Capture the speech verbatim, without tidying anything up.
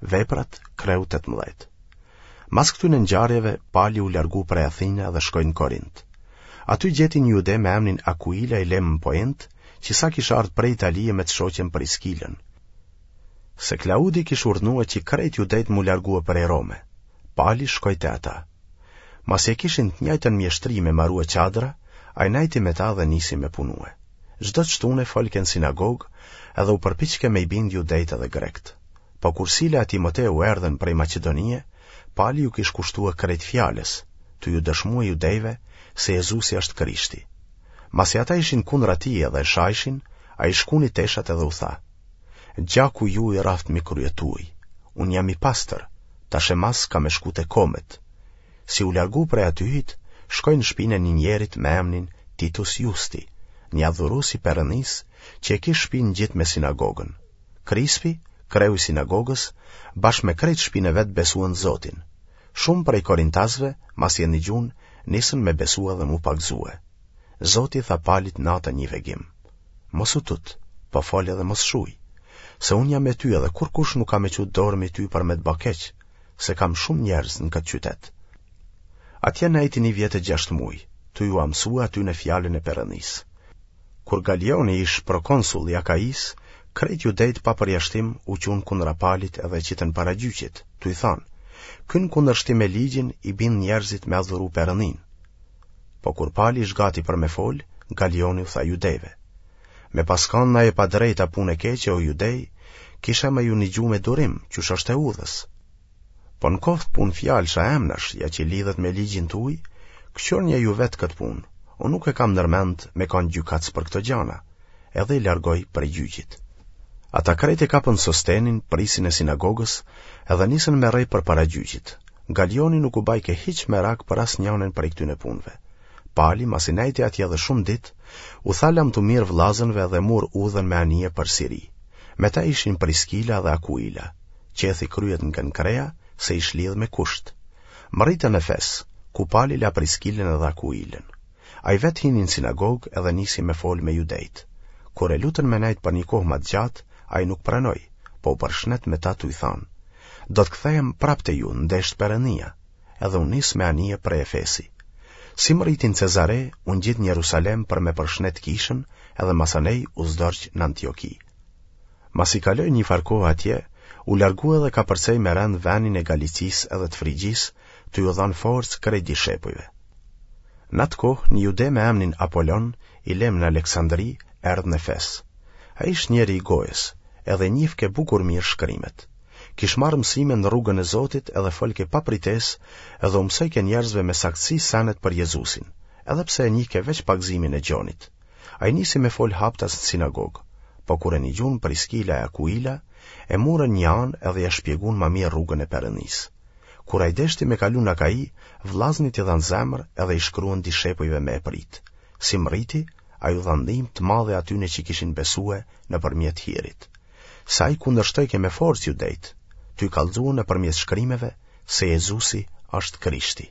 Veprat, kreu tetëmbëdhjetë. Mas këtyne ngjarjeve, Pali u largu prej Athine dhe shkoi në Korint. Aty gjeti një jude me emnin Akuila i lemë në Poent, që sa kish ardhë prej Italie me të shoqen Priskilën. Se Klaudi kish urdhnue që krejt judejt m'u largue prej Rome. Pali shkoi te ata. Masi e kishin të njëjtën mjeshtri me marue çadra, ai nejti me ta dhe nisi me punue. Çdo të shtune folke në sinagogë edhe u përpiqke me i bind judejt edhe grekët. Po kur Sila e Timoteu erdhën prej Maqedonie, Pali ju kish kushtue krejt fjalës, tu ju dëshmue judejve se Jezusi është Krishti. Masi ata ishin kundra tij edhe e shajshin, ai shkuni teshat edhe u tha: Gjaku juj raftë mi kryet tuj, unë jam i pastër, tash e mas kam me shku te komet. Si u largu prej atyhit, shkoi në shpinë e një njerit me emnin Titus Justi, një adhurus i Perëndisë, që e kish shpinë ngjit me sinagogën. Krispi, kreu i sinagogës, bashkë me krejt shpinë e vet besuan Zotin. Shumë prej korintasve, masi e nigjunë, nisën me besue dhe m'u pagëzue. Zoti i tha Palit natën një vegim: Mos u tut, po fol edhe mos shuj, se unë jam me ty edhe kurkush nuk ka me çu dorë mi ty për me të ba keq, se kam shumë njerëz në këtë qytet. Atje nejti një vjet e gjashtë muj, tu jua mësue atyne fjalën e Perëndisë. Kur Galioni ish prokonsull i Akaisë, krejt judejtë pa përjashtim u çunë kundra Palit edhe e qitën para gjyqit, tu i thanë, Ky në kundërshtim me ligjin i bind njerëzit me adhuru Perëndinë. Po kur Pali ish gati për me folë, Galioni u tha judejve, Me pas kanë naj e padrejtë a punë e keqe, o judej, kisha me ju nigju me durim, qysh është e udhës. Po në koftë punë fjalësh a emnash, ja që lidhet me ligjin tuj, këqyrnje ju vetë këtë punë, unë nuk e kam ndërmend me kanë gjykatës për këto gjana, edhe i largoi prej gjyqit. Ata krejt e kapën Sostenin, prisin e sinagogës, edhe nisën me rreh përpara gjyqit. Galioni nuk u bajke hiç merak për asnjanën prej këtyne punëve. Pali, masi nejti atje edhe shumë ditë, u tha lamtumirë vëllazënve dhe mur udhën me anije për Siri. Me ta ishin Priskila dhe Akuila. Qethi kryet në Kenkrea, se ish lidhë me kusht. Mërritën në Efes, ku Pali la Priskilën edhe Akuilën. Ai vetë hini në sinagogë edhe nisi me folë me judejtë. Kur e lutën me nejtë për një kohë ma të gjatë, ai nuk pranoi, po u përshnet me ta tuj thanë, Do të kthehem prapë te ju, n'deshtë Perëndia, edhe u nis me anije prej Efesi. Si mërriti në Cezare, u ngjit në Jerusalem për me përshnet kishën edhe masanej u zdorq në Antioki. Masi kaloi një farë kohe atje, u largu edhe kapërcej me rend venin e Galicisë edhe të Frigjisë, tu ju dhanë forcë krejt dishepujve. N'atë kohë, një jude me emnin Apolon, i lem në Aleksandri, erdh në Efes. Ai ish njeri i gojës, edhe i njihke bukur mirë shkrimet. Kish marrë mësime në rrugën e Zotit edhe folke pa pritesë edhe u mësojke njerëzve me saktësi senet për Jezusin, edhe pse e njihke veç pagëzimin e Gjonit. Ai nisi me folë haptas në sinagogë, po kur e nigjunë Priskila e Akuila, e murën një anë edhe ia shpjegunë ma mirë rrugën e Perëndisë. Kur ai deshti me kalu në Akai, vllaznit i dhanë zemër edhe i shkruan dishepujve me e pritë. Si mrriti, ai u dha ndihmë të madhe atyne që kishin besue nëpërmjet hirit. Se ai kundërshtojke me forcë judejtë, tuj kallxue nëpërmjet shkrimeve se Jezusi është Krishti.